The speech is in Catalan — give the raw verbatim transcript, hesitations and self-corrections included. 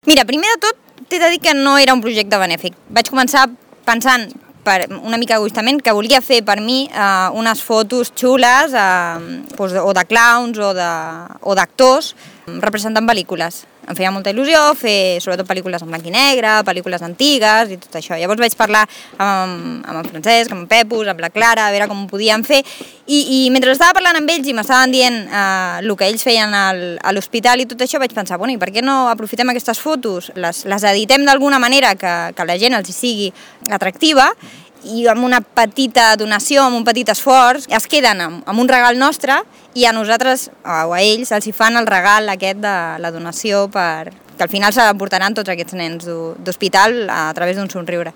Mira, primer de tot, t'he de dir que no era un projecte benèfic. Vaig començar pensant, per una mica egoistament, que volia fer per mi eh, unes fotos xules eh, doncs, o de clowns o d'actors representant pel·lícules. Em feia molta il·lusió fer sobretot pel·lícules en blanc i negre, pel·lícules antigues i tot això. Llavors vaig parlar amb, amb en Francesc, amb en Pepus, amb la Clara, a veure com ho podíem fer. I, i mentre estava parlant amb ells i m'estaven dient eh, el que ells feien al, a l'hospital i tot això, vaig pensar, bueno, i per què no aprofitem aquestes fotos, les, les editem d'alguna manera que, que la gent els sigui atractiva i amb una petita donació, amb un petit esforç, es queden amb, amb un regal nostre i a nosaltres, o a ells, els hi fan el regal aquest de la donació per, que al final se l'emportaran tots aquests nens d'hospital a través d'un somriure.